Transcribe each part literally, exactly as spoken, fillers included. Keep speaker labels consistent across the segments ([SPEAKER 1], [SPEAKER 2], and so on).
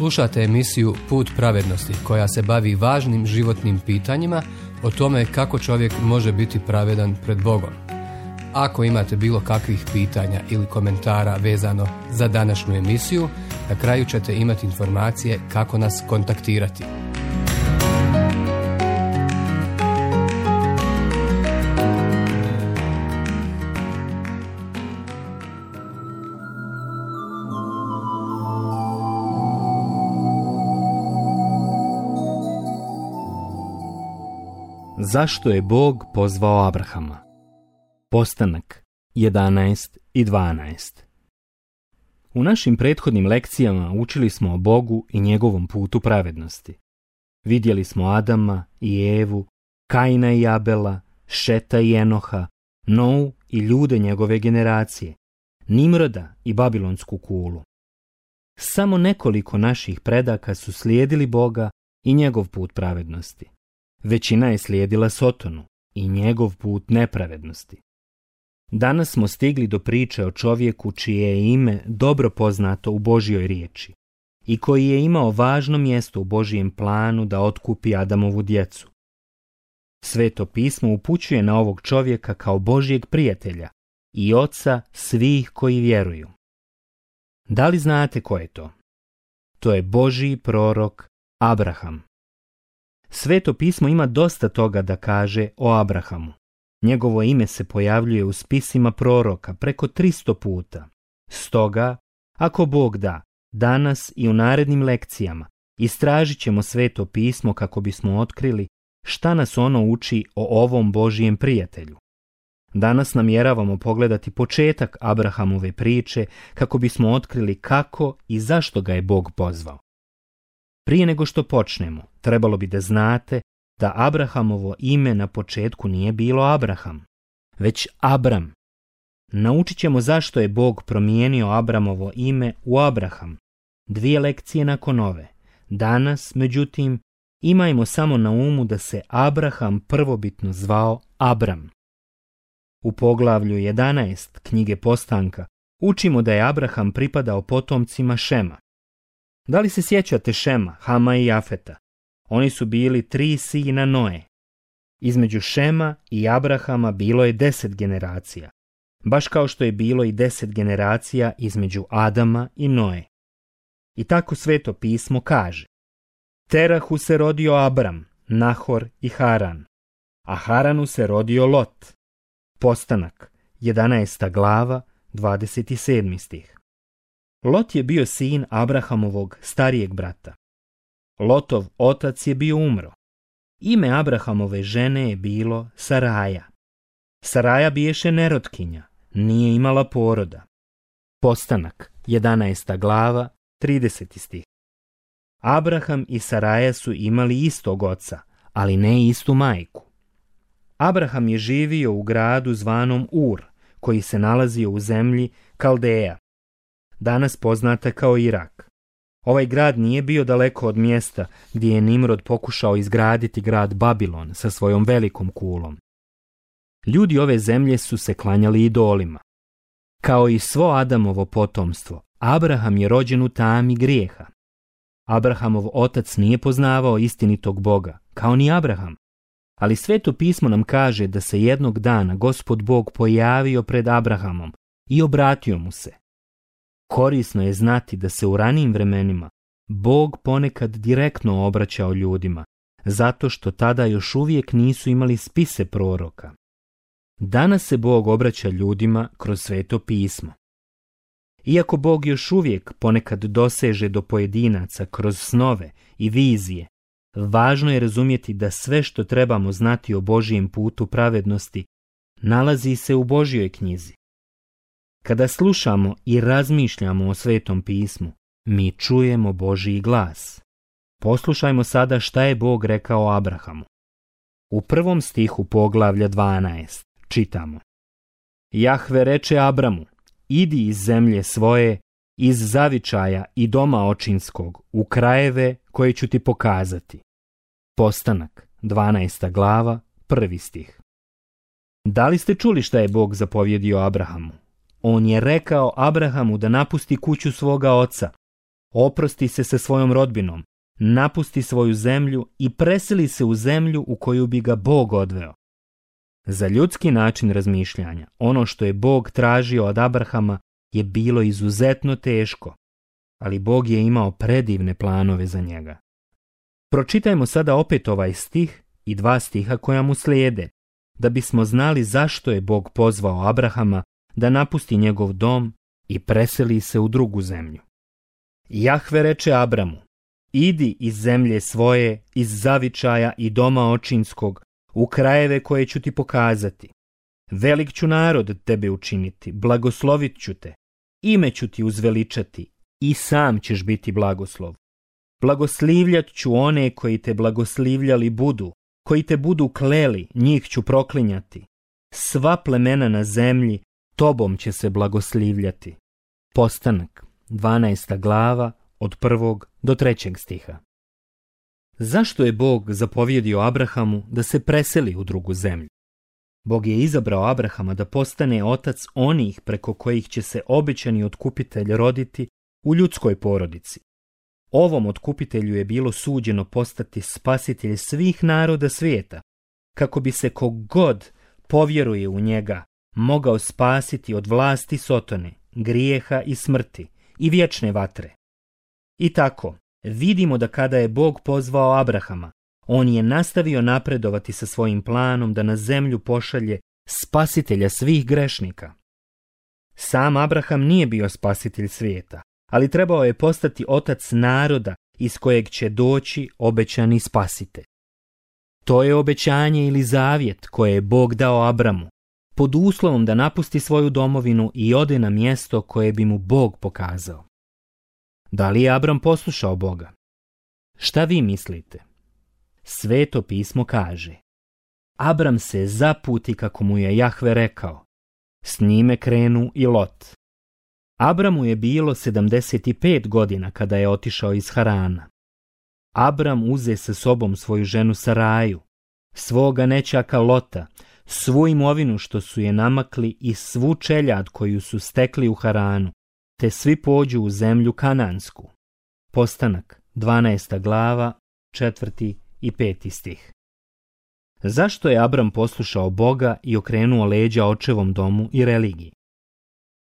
[SPEAKER 1] Slušate emisiju Put pravednosti koja se bavi važnim životnim pitanjima o tome kako čovjek može biti pravedan pred Bogom. Ako imate bilo kakvih pitanja ili komentara vezano za današnju emisiju, na kraju ćete imati informacije kako nas kontaktirati.
[SPEAKER 2] Zašto je Bog pozvao Abrahama? Postanak jedanaest i dvanaest. U našim prethodnim lekcijama učili smo o Bogu i njegovom putu pravednosti. Vidjeli smo Adama i Evu, Kaina i Abela, Šeta i Enoha, Nou i ljude njegove generacije, Nimroda i Babilonsku kulu. Samo nekoliko naših predaka su slijedili Boga i njegov put pravednosti. Većina je slijedila Sotonu i njegov put nepravednosti. Danas smo stigli do priče o čovjeku čije je ime dobro poznato u Božjoj riječi i koji je imao važno mjesto u Božjem planu da otkupi Adamovu djecu. Sveto pismo upućuje na ovog čovjeka kao Božjeg prijatelja i oca svih koji vjeruju. Da li znate ko je to? To je Božji prorok Abraham. Sveto pismo ima dosta toga da kaže o Abrahamu. Njegovo ime se pojavljuje u spisima proroka preko tristo puta. Stoga, ako Bog da, danas i u narednim lekcijama istražit ćemo Sveto pismo kako bismo otkrili šta nas ono uči o ovom Božijem prijatelju. Danas namjeravamo pogledati početak Abrahamove priče kako bismo otkrili kako i zašto ga je Bog pozvao. Prije nego što počnemo, trebalo bi da znate da Abrahamovo ime na početku nije bilo Abraham, već Abram. Naučit ćemo zašto je Bog promijenio Abramovo ime u Abraham, dvije lekcije nakon ove. Danas, međutim, imajmo samo na umu da se Abraham prvobitno zvao Abram. U poglavlju jedanaest knjige Postanka učimo da je Abraham pripadao potomcima Šema. Da li se sjećate Šema, Hama i Jafeta? Oni su bili tri sina Noe. Između Šema i Abrahama bilo je deset generacija, baš kao što je bilo i deset generacija između Adama i Noe. I tako Sveto pismo kaže: Terahu se rodio Abram, Nahor i Haran, a Haranu se rodio Lot. Postanak, jedanaesta glava, dvadeset sedmi stih. Lot je bio sin Abrahamovog starijeg brata. Lotov otac je bio umro. Ime Abrahamove žene je bilo Saraja. Saraja biješe nerotkinja, nije imala poroda. Postanak, jedanaesta glava, trideseti stih. Abraham i Saraja su imali istog oca, ali ne istu majku. Abraham je živio u gradu zvanom Ur, koji se nalazio u zemlji Kaldeja, danas poznata kao Irak. Ovaj grad nije bio daleko od mjesta gdje je Nimrod pokušao izgraditi grad Babilon sa svojom velikom kulom. Ljudi ove zemlje su se klanjali idolima. Kao i svo Adamovo potomstvo, Abraham je rođen u tami grijeha. Abrahamov otac nije poznavao istinitog Boga, kao ni Abraham. Ali Sveto pismo nam kaže da se jednog dana Gospod Bog pojavio pred Abrahamom i obratio mu se. Korisno je znati da se u ranijim vremenima Bog ponekad direktno obraćao ljudima, zato što tada još uvijek nisu imali spise proroka. Danas se Bog obraća ljudima kroz Sveto pismo. Iako Bog još uvijek ponekad doseže do pojedinaca kroz snove i vizije, važno je razumjeti da sve što trebamo znati o Božijem putu pravednosti nalazi se u Božjoj knjizi. Kada slušamo i razmišljamo o Svetom pismu, mi čujemo Božji glas. Poslušajmo sada šta je Bog rekao Abrahamu. U prvom stihu poglavlja dvanaest čitamo: Jahve reče Abramu, idi iz zemlje svoje, iz zavičaja i doma očinskog, u krajeve koje ću ti pokazati. Postanak, dvanaesta glava, prvi stih. Da li ste čuli šta je Bog zapovjedio Abrahamu? On je rekao Abrahamu da napusti kuću svoga oca, Oprosti se sa svojom rodbinom, napusti svoju zemlju i preseli se u zemlju u koju bi ga Bog odveo. Za ljudski način razmišljanja, ono što je Bog tražio od Abrahama je bilo izuzetno teško, ali Bog je imao predivne planove za njega. Pročitajmo sada opet ovaj stih i dva stiha koja mu slijede, da bismo znali zašto je Bog pozvao Abrahama da napusti njegov dom i preseli se u drugu zemlju. Jahve reče Abramu: idi iz zemlje svoje, iz zavičaja i doma očinskog, u krajeve koje ću ti pokazati. Velik ću narod od tebe učiniti, blagoslovit ću te, ime ću ti uzveličati i sam ćeš biti blagoslov. Blagoslivljat ću one koji te blagoslivljali budu, koji te budu kleli, njih ću proklinjati. Sva plemena na zemlji tobom će se blagoslivljati. Postanak, dvanaesta glava, od prvog do trećeg stiha. Zašto je Bog zapovjedio Abrahamu da se preseli u drugu zemlju? Bog je izabrao Abrahama da postane otac onih preko kojih će se obećani otkupitelj roditi u ljudskoj porodici. Ovom otkupitelju je bilo suđeno postati spasitelj svih naroda svijeta, kako bi se kogod povjeruje u njega mogao spasiti od vlasti Sotone, grijeha i smrti i vječne vatre. I tako, vidimo da kada je Bog pozvao Abrahama, on je nastavio napredovati sa svojim planom da na zemlju pošalje spasitelja svih grešnika. Sam Abraham nije bio spasitelj svijeta, ali trebao je postati otac naroda iz kojeg će doći obećani spasitelj. To je obećanje ili zavjet koje je Bog dao Abramu, pod uslovom da napusti svoju domovinu i ode na mjesto koje bi mu Bog pokazao. Da li je Abram poslušao Boga? Šta vi mislite? Sveto pismo kaže: Abram se zaputi kako mu je Jahve rekao. S njime krenu i Lot. Abramu je bilo sedamdeset pet godina kada je otišao iz Harana. Abram uze sa sobom svoju ženu Saraju, svoga nećaka Lota, svu imovinu što su je namakli i svu čeljad koju su stekli u Haranu, te svi pođu u zemlju Kanansku. Postanak, dvanaesta glava, četvrti i peti stih. Zašto je Abram poslušao Boga i okrenuo leđa očevom domu i religiji?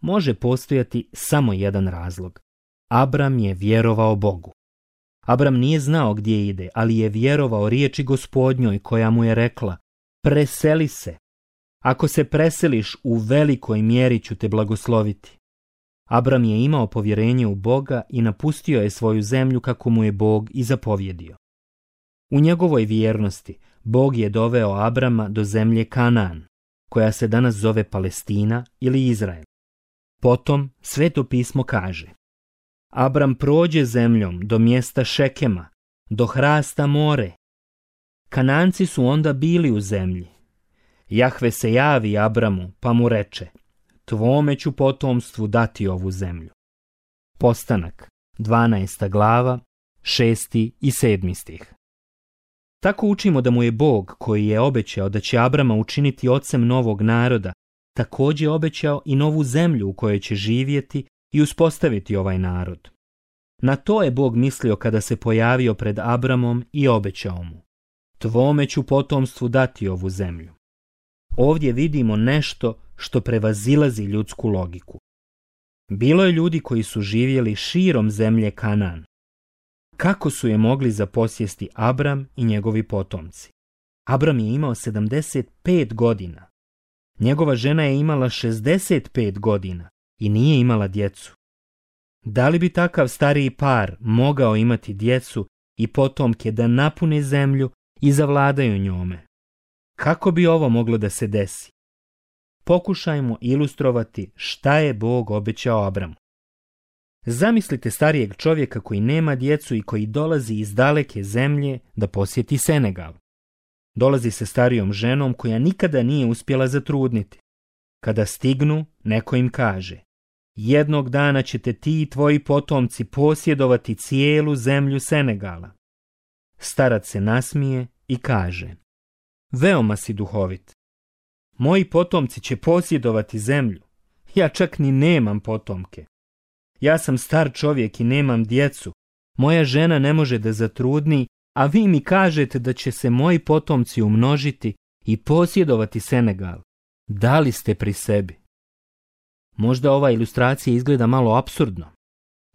[SPEAKER 2] Može postojati samo jedan razlog. Abram je vjerovao Bogu. Abram nije znao gdje ide, ali je vjerovao riječi Gospodnjoj koja mu je rekla: preseli se. Ako se preseliš, u velikoj mjeri ću te blagosloviti. Abram je imao povjerenje u Boga i napustio je svoju zemlju kako mu je Bog i zapovjedio. U njegovoj vjernosti Bog je doveo Abrama do zemlje Kanaan, koja se danas zove Palestina ili Izrael. Potom Sveto pismo kaže: Abram prođe zemljom do mjesta Šekema, do hrasta More. Kananci su onda bili u zemlji. Jahve se javi Abramu pa mu reče: tvome ću potomstvu dati ovu zemlju. Postanak, dvanaesta glava, šesti i sedmi stih. Tako učimo da mu je Bog, koji je obećao da će Abrama učiniti ocem novog naroda, također obećao i novu zemlju u kojoj će živjeti i uspostaviti ovaj narod. Na to je Bog mislio kada se pojavio pred Abramom i obećao mu: tvome ću potomstvu dati ovu zemlju. Ovdje vidimo nešto što prevazilazi ljudsku logiku. Bilo je ljudi koji su živjeli širom zemlje Kanaan. Kako su je mogli zaposjesti Abram i njegovi potomci? Abram je imao sedamdeset pet godina. Njegova žena je imala šezdeset pet godina i nije imala djecu. Da li bi takav stariji par mogao imati djecu i potomke da napune zemlju i zavladaju njome? Kako bi ovo moglo da se desi? Pokušajmo ilustrovati šta je Bog obećao Abramu. Zamislite starijeg čovjeka koji nema djecu i koji dolazi iz daleke zemlje da posjeti Senegal. Dolazi se starijom ženom koja nikada nije uspjela zatrudniti. Kada stignu, neko im kaže: jednog dana ćete ti i tvoji potomci posjedovati cijelu zemlju Senegala. Starac se nasmije i kaže: veoma si duhovit. Moji potomci će posjedovati zemlju. Ja čak ni nemam potomke. Ja sam star čovjek i nemam djecu. Moja žena ne može da zatrudni, a vi mi kažete da će se moji potomci umnožiti i posjedovati Senegal. Da li ste pri sebi? Možda ova ilustracija izgleda malo apsurdno.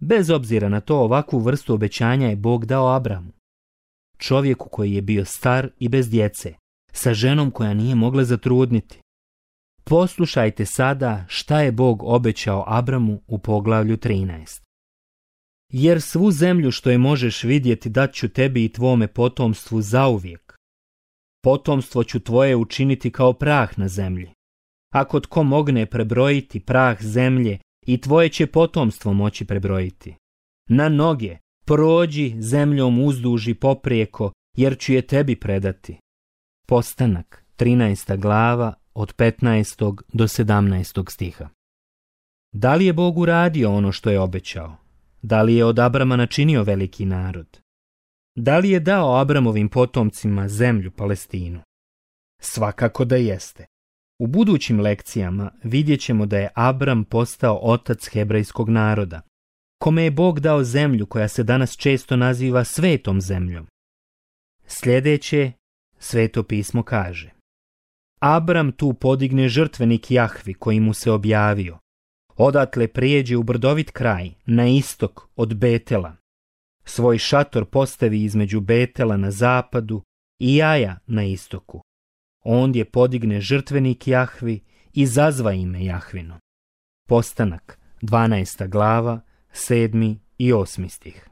[SPEAKER 2] Bez obzira na to, ovakvu vrstu obećanja je Bog dao Abramu, čovjeku koji je bio star i bez djece, sa ženom koja nije mogla zatrudniti. Poslušajte sada šta je Bog obećao Abramu u poglavlju trinaest. Jer svu zemlju što je možeš vidjeti dat ću tebi i tvome potomstvu zauvijek. Potomstvo ću tvoje učiniti kao prah na zemlji. Ako tko mogne prebrojiti prah zemlje, i tvoje će potomstvo moći prebrojiti. Na noge, prođi zemljom uzduž i poprijeko, jer ću je tebi predati. Postanak, trinaesta glava, od petnaestog do sedamnaestog stiha. Da li je Bog uradio ono što je obećao? Da li je od Abrama načinio veliki narod? Da li je dao Abramovim potomcima zemlju Palestinu? Svakako da jeste. U budućim lekcijama vidjet ćemo da je Abram postao otac hebrejskog naroda, kome je Bog dao zemlju koja se danas često naziva svetom zemljom. Sljedeće, Sveto pismo kaže: Abram tu podigne žrtvenik Jahvi koji mu se objavio. Odatle prijeđe u brdovit kraj, na istok od Betela. Svoj šator postavi između Betela na zapadu i Jaja na istoku. Ondje podigne žrtvenik Jahvi i zazva ime Jahvino. Postanak, dvanaesta glava, sedmi i osmi stih.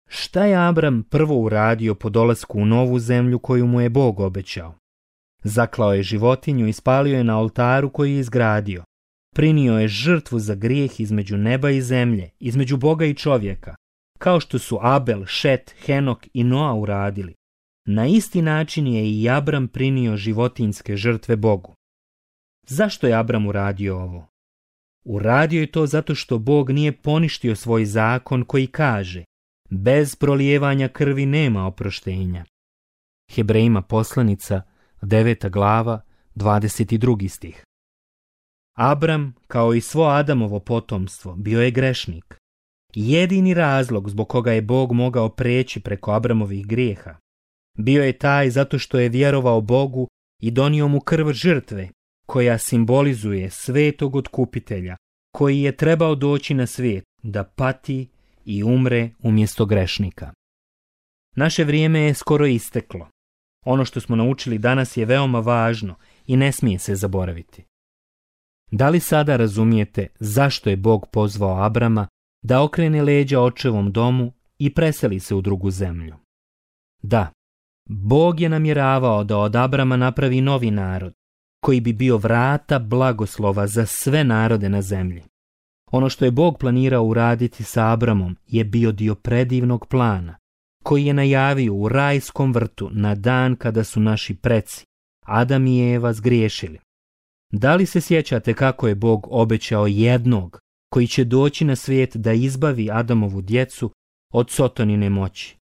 [SPEAKER 2] Šta je Abram prvo uradio po dolasku u novu zemlju koju mu je Bog obećao? Zaklao je životinju i spalio je na oltaru koji je izgradio. Prinio je žrtvu za grijeh između neba i zemlje, između Boga i čovjeka, kao što su Abel, Šet, Henok i Noa uradili. Na isti način je i Abram prinio životinjske žrtve Bogu. Zašto je Abram uradio ovo? Uradio je to zato što Bog nije poništio svoj zakon koji kaže: bez prolijevanja krvi nema oproštenja. Hebrejima poslanica, deveta glava, dvadeset drugi stih. Abram, kao i svo Adamovo potomstvo, bio je grešnik. Jedini razlog zbog koga je Bog mogao preći preko Abramovih grijeha bio je taj zato što je vjerovao Bogu i donio mu krv žrtve, koja simbolizuje svetog otkupitelja, koji je trebao doći na svijet da pati i umre umjesto grešnika. Naše vrijeme je skoro isteklo. Ono što smo naučili danas je veoma važno i ne smije se zaboraviti. Da li sada razumijete zašto je Bog pozvao Abrama da okrene leđa očevom domu i preseli se u drugu zemlju? Da, Bog je namjeravao da od Abrama napravi novi narod, koji bi bio vrata blagoslova za sve narode na zemlji. Ono što je Bog planirao uraditi sa Abramom je bio dio predivnog plana, koji je najavio u rajskom vrtu na dan kada su naši preci, Adam i Eva, zgriješili. Da li se sjećate kako je Bog obećao jednog koji će doći na svijet da izbavi Adamovu djecu od Sotonine moći?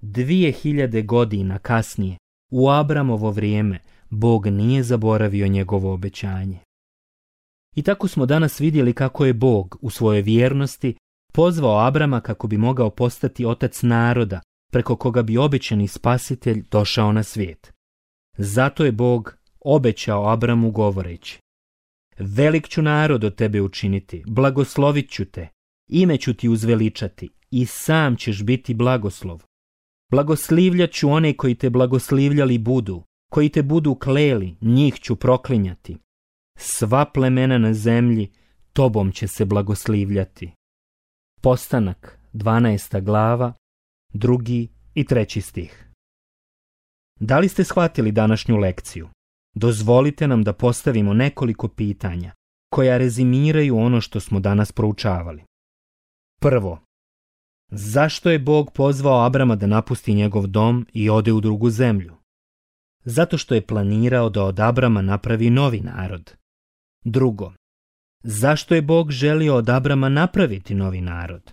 [SPEAKER 2] Dvije hiljade godina kasnije, u Abramovo vrijeme, Bog nije zaboravio njegovo obećanje. I tako smo danas vidjeli kako je Bog u svojoj vjernosti pozvao Abrama kako bi mogao postati otac naroda, preko koga bi obećani spasitelj došao na svijet. Zato je Bog obećao Abramu govoreći: velik ću narod od tebe učiniti, blagoslovit ću te, ime ću ti uzveličati i sam ćeš biti blagoslov. Blagoslivljat ću one koji te blagoslivljali budu, koji te budu kleli, njih ću proklinjati. Sva plemena na zemlji tobom će se blagoslivljati. Postanak, dvanaesta glava, drugi i treći stih. Da li ste shvatili današnju lekciju? Dozvolite nam da postavimo nekoliko pitanja koja rezimiraju ono što smo danas proučavali. Prvo, zašto je Bog pozvao Abrama da napusti njegov dom i ode u drugu zemlju? Zato što je planirao da od Abrama napravi novi narod. Drugo, zašto je Bog želio od Abrama napraviti novi narod?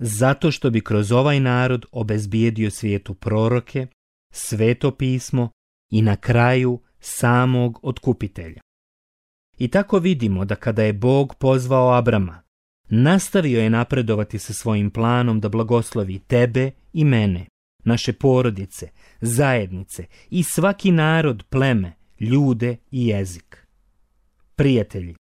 [SPEAKER 2] Zato što bi kroz ovaj narod obezbijedio svijetu proroke, sveto pismo i na kraju samog otkupitelja. I tako vidimo da kada je Bog pozvao Abrama, Nastavio je napredovati sa svojim planom da blagoslovi tebe i mene, naše porodice, zajednice i svaki narod, pleme, ljude i jezik. Prijatelji,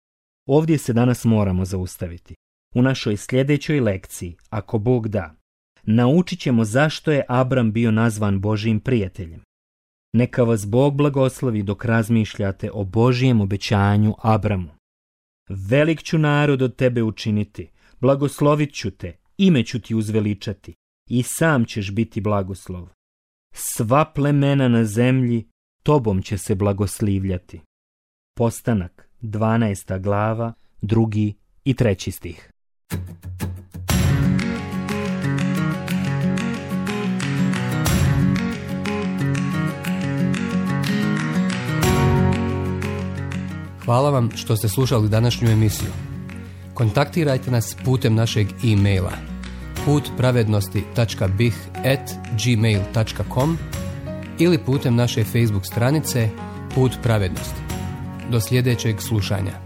[SPEAKER 2] ovdje se danas moramo zaustaviti. U našoj sljedećoj lekciji, ako Bog da, naučit ćemo zašto je Abram bio nazvan Božjim prijateljem. Neka vas Bog blagoslovi dok razmišljate o Božjem obećanju Abramu. Velik ću narod od tebe učiniti, blagoslovit ću te, ime ću ti uzveličati i sam ćeš biti blagoslov. Sva plemena na zemlji tobom će se blagoslivljati. Postanak, dvanaesta glava, drugi i treći stih.
[SPEAKER 1] Hvala vam što ste slušali današnju emisiju. Kontaktirajte nas putem našeg e-maila put pravednosti tačka b i h at gmail tačka com ili putem naše Facebook stranice Put pravednosti. Do sljedećeg slušanja.